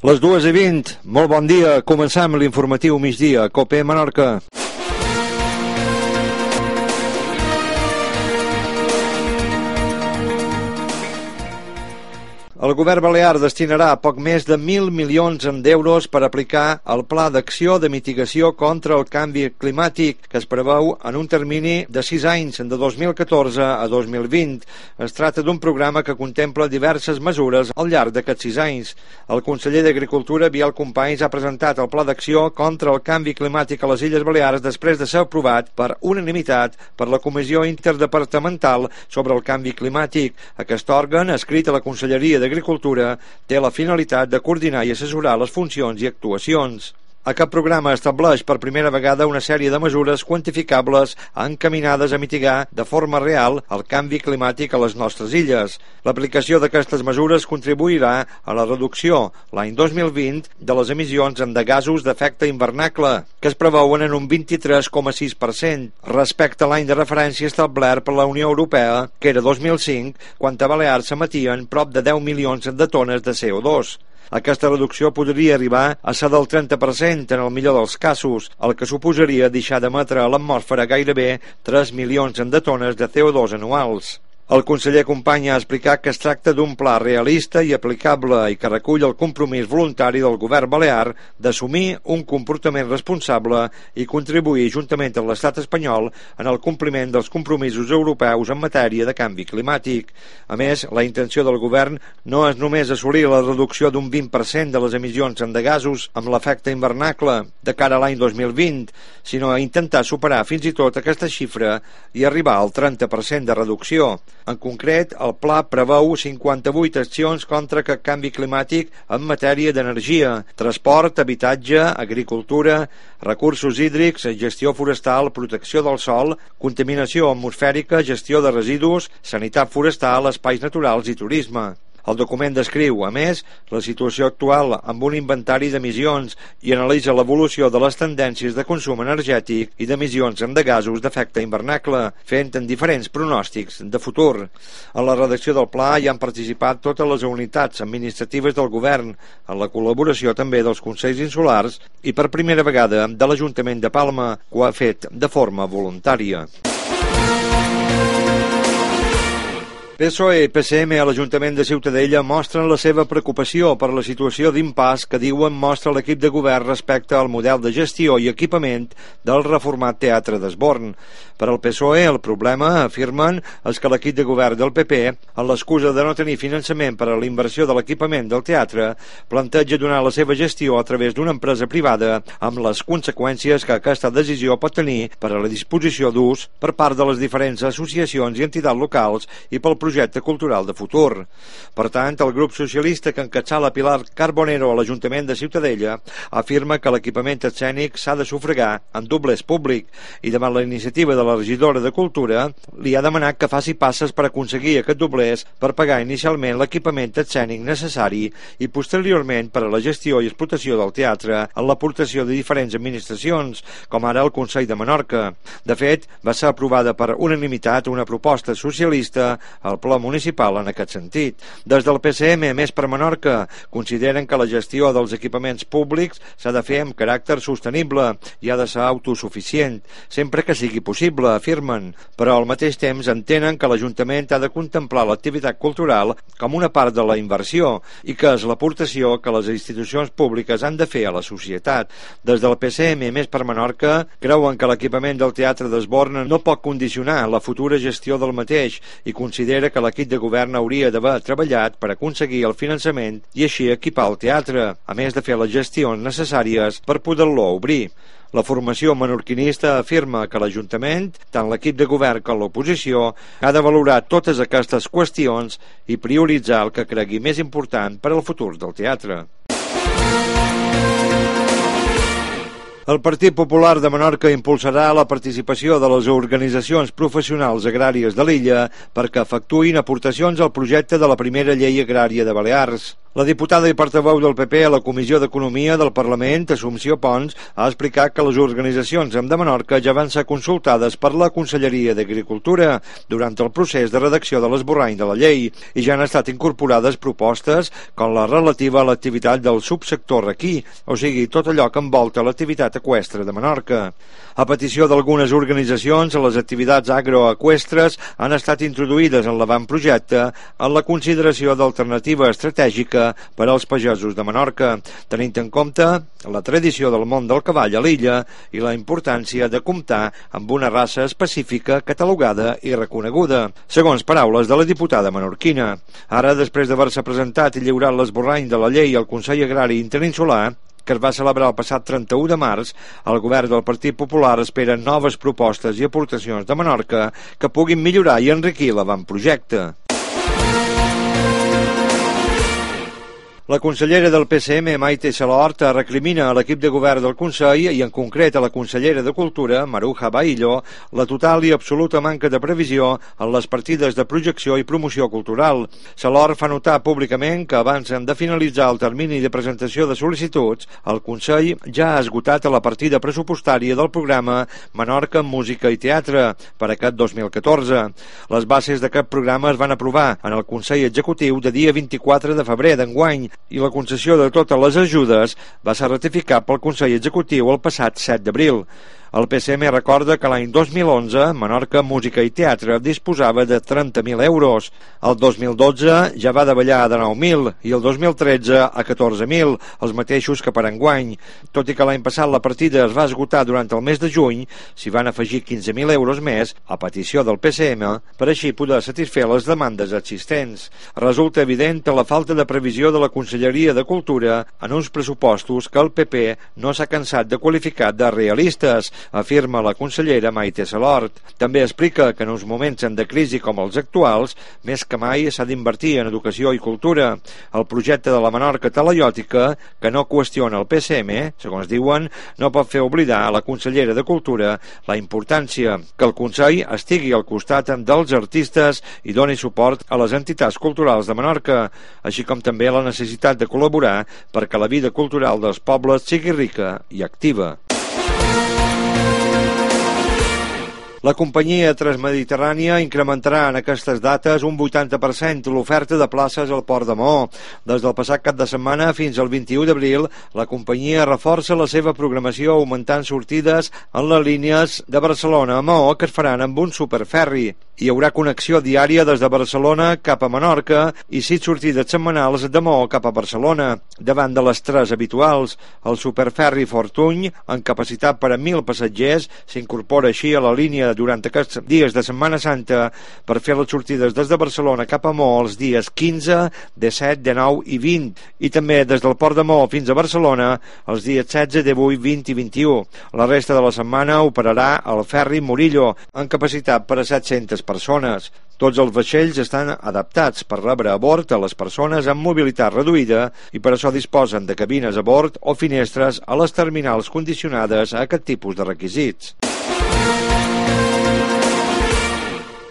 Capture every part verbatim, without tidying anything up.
Les dues i vint, molt bon dia, comencem l'informatiu migdia, COPE Menorca. El govern balear destinarà poc més de mil milions d'euros per aplicar el Pla d'Acció de Mitigació contra el Canvi Climàtic, que es preveu en un termini de sis anys, de dos mil catorze a dos mil vint. Es tracta d'un programa que contempla diverses mesures al llarg d'aquests sis anys. El conseller d'Agricultura, Biel Companys, ha presentat el Pla d'Acció contra el Canvi Climàtic a les Illes Balears després de ser aprovat per unanimitat per la Comissió Interdepartamental sobre el Canvi Climàtic. Aquest òrgan, adscrit a la Conselleria d'Agricultura, Agricultura té la finalitat de coordinar i assessorar les funcions i actuacions. Aquest programa estableix per primera vegada una sèrie de mesures quantificables encaminades a mitigar de forma real el canvi climàtic a les nostres illes. L'aplicació d'aquestes mesures contribuirà a la reducció, l'any dos mil vint, de les emissions de gasos d'efecte hivernacle, que es preveuen en un vint-i-tres coma sis per cent, respecte a l'any de referència establert per la Unió Europea, que era dos mil cinc, quan a Balears s'emetien prop de deu milions de tones de C O dos. Aquesta reducció podria arribar a ser del trenta per cent en el millor dels casos, el que suposaria deixar d'emetre a l'atmosfera gairebé tres milions de tones de C O dos anuals. El conseller Company ha explicat que es tracta d'un pla realista i aplicable i que recull el compromís voluntari del govern balear d'assumir un comportament responsable i contribuir juntament amb l'estat espanyol en el compliment dels compromisos europeus en matèria de canvi climàtic. A més, la intenció del govern no és només assolir la reducció d'un vint per cent de les emissions de gasos amb l'efecte hivernacle de cara a l'any dos mil vint, sinó a intentar superar fins i tot aquesta xifra i arribar al trenta per cent de reducció. En concret, el pla preveu cinquanta-vuit accions contra el canvi climàtic en matèria d'energia, transport, habitatge, agricultura, recursos hídrics, gestió forestal, protecció del sòl, contaminació atmosfèrica, gestió de residus, sanitat forestal, espais naturals i turisme. El document descriu, a més, la situació actual amb un inventari d'emissions i analitza l'evolució de les tendències de consum energètic i d'emissions de gasos d'efecte hivernacle, fent en diferents pronòstics de futur. En la redacció del pla hi han participat totes les unitats administratives del govern, en la col·laboració també dels consells insulars i per primera vegada de l'Ajuntament de Palma, que ho ha fet de forma voluntària. P S O E i P C M a l'Ajuntament de Ciutadella mostren la seva preocupació per la situació d'impàs que diuen mostra l'equip de govern respecte al model de gestió i equipament del reformat Teatre d'Esborn. Per al P S O E el problema, afirmen, és que l'equip de govern del P P, amb l'excusa de no tenir finançament per a la inversió de l'equipament del teatre, planteja donar la seva gestió a través d'una empresa privada amb les conseqüències que aquesta decisió pot tenir per a la disposició d'ús per part de les diferents associacions i entitats locals i pel projecte cultural de futur. Per tant, el grup socialista que encapçala Pilar Carbonero a l'Ajuntament de Ciutadella afirma que l'equipament escènic s'ha de sufragar en doblers públic i davant la iniciativa de la regidora de Cultura li ha demanat que faci passes per aconseguir aquest doblers per pagar inicialment l'equipament escènic necessari i posteriorment per a la gestió i explotació del teatre en l'aportació de diferents administracions, com ara el Consell de Menorca. De fet, va ser aprovada per unanimitat una proposta socialista al Pla Municipal en aquest sentit. Des del P C M, Més per Menorca, consideren que la gestió dels equipaments públics s'ha de fer amb caràcter sostenible i ha de ser autosuficient, sempre que sigui possible, afirmen, però al mateix temps entenen que l'Ajuntament ha de contemplar l'activitat cultural com una part de la inversió i que és l'aportació que les institucions públiques han de fer a la societat. Des del P C M, Més per Menorca, creuen que l'equipament del Teatre d'Esborn no pot condicionar la futura gestió del mateix i considera que l'equip de govern hauria d'haver treballat per aconseguir el finançament i així equipar el teatre, a més de fer les gestions necessàries per poder-lo obrir. La formació menorquinista afirma que l'Ajuntament, tant l'equip de govern com l'oposició, ha de valorar totes aquestes qüestions i prioritzar el que cregui més important per al futur del teatre. El Partit Popular de Menorca impulsarà la participació de les organitzacions professionals agràries de l'illa perquè efectuïn aportacions al projecte de la primera llei agrària de Balears. La diputada i portaveu del P P a la Comissió d'Economia del Parlament, Assumpció Pons, ha explicat que les organitzacions de Menorca ja van ser consultades per la Conselleria d'Agricultura durant el procés de redacció de l'esborrany de la llei i ja han estat incorporades propostes com la relativa a l'activitat del subsector requí, o sigui, tot allò que envolta l'activitat eqüestre de Menorca. A petició d'algunes organitzacions, les activitats agroeqüestres han estat introduïdes en l'avantprojecte en la consideració d'alternativa estratègica per als pagesos de Menorca, tenint en compte la tradició del món del cavall a l'illa i la importància de comptar amb una raça específica catalogada i reconeguda, segons paraules de la diputada menorquina. Ara, després d'haver-se presentat i lliurat l'esborrany de la llei al Consell Agrari Interinsular, que es va celebrar el passat trenta-u de març, el govern del Partit Popular espera noves propostes i aportacions de Menorca que puguin millorar i enriquir l'avantprojecte. La consellera del P C M, Maite Salort, recrimina a l'equip de govern del Consell i en concret a la consellera de Cultura, Maruja Baillo, la total i absoluta manca de previsió en les partides de projecció i promoció cultural. Salort fa notar públicament que abans de finalitzar el termini de presentació de sol·licituds, el Consell ja ha esgotat la partida pressupostària del programa Menorca en Música i Teatre per aquest dos mil catorze. Les bases d'aquest programa es van aprovar en el Consell Executiu de dia vint-i-quatre de febrer d'enguany i la concessió de totes les ajudes va ser ratificat pel Consell Executiu el passat set d'abril. El P C M recorda que l'any dos mil onze Menorca Música i Teatre disposava de trenta mil euros. El dos mil dotze ja va davallar de nou mil i el dos mil tretze a catorze mil, els mateixos que per enguany. Tot i que l'any passat la partida es va esgotar durant el mes de juny, s'hi van afegir quinze mil euros més a petició del P C M per així poder satisfer les demandes existents. Resulta evident la falta de previsió de la Conselleria de Cultura en uns pressupostos que el P P no s'ha cansat de qualificar de realistes, afirma la consellera Maite Salort. També explica que en uns moments de crisi com els actuals, més que mai s'ha d'invertir en educació i cultura. El projecte de la Menorca talaiòtica, que no qüestiona el P C M, segons diuen, no pot fer oblidar a la consellera de Cultura la importància que el Consell estigui al costat dels artistes i doni suport a les entitats culturals de Menorca, així com també la necessitat de col·laborar perquè la vida cultural dels pobles sigui rica i activa. La companyia Transmediterrània incrementarà en aquestes dates un vuitanta per cent l'oferta de places al Port de Maó. Des del passat cap de setmana fins al vint-i-u d'abril, la companyia reforça la seva programació augmentant sortides en les línies de Barcelona a Maó que es faran amb un superferri. Hi haurà connexió diària des de Barcelona cap a Menorca i sis sortides setmanals de Maó cap a Barcelona, davant de les tres habituals. El superferri Fortuny, amb capacitat per a mil passatgers, s'incorpora així a la línia durant aquests dies de Setmana Santa per fer les sortides des de Barcelona cap a Maó els dies quinze, disset, dinou i vint, i també des del Port de Maó fins a Barcelona els dies setze, divuit, vint i vint-i-u. La resta de la setmana operarà el ferri Murillo, amb capacitat per a set-centes persones. Tots els vaixells estan adaptats per rebre a bord a les persones amb mobilitat reduïda i per això disposen de cabines a bord o finestres a les terminals condicionades a aquest tipus de requisits.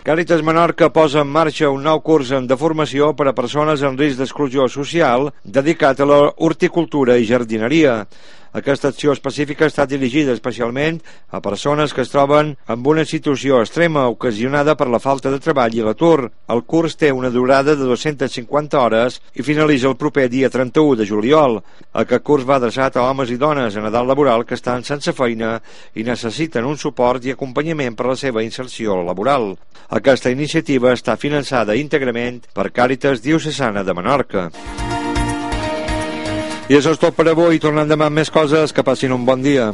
Càritas Menorca posa en marxa un nou curs de formació per a persones en risc d'exclusió social dedicat a la horticultura i jardineria. Aquesta acció específica està dirigida especialment a persones que es troben en una situació extrema ocasionada per la falta de treball i l'atur. El curs té una durada de dues-centes cinquanta hores i finalitza el proper dia trenta-u de juliol. Aquest curs va adreçat a homes i dones en edat laboral que estan sense feina i necessiten un suport i acompanyament per a la seva inserció laboral. Aquesta iniciativa està finançada íntegrament per Càritas Diocesana de Menorca. I això és tot per avui. Tornem demà amb més coses. Que passin un bon dia.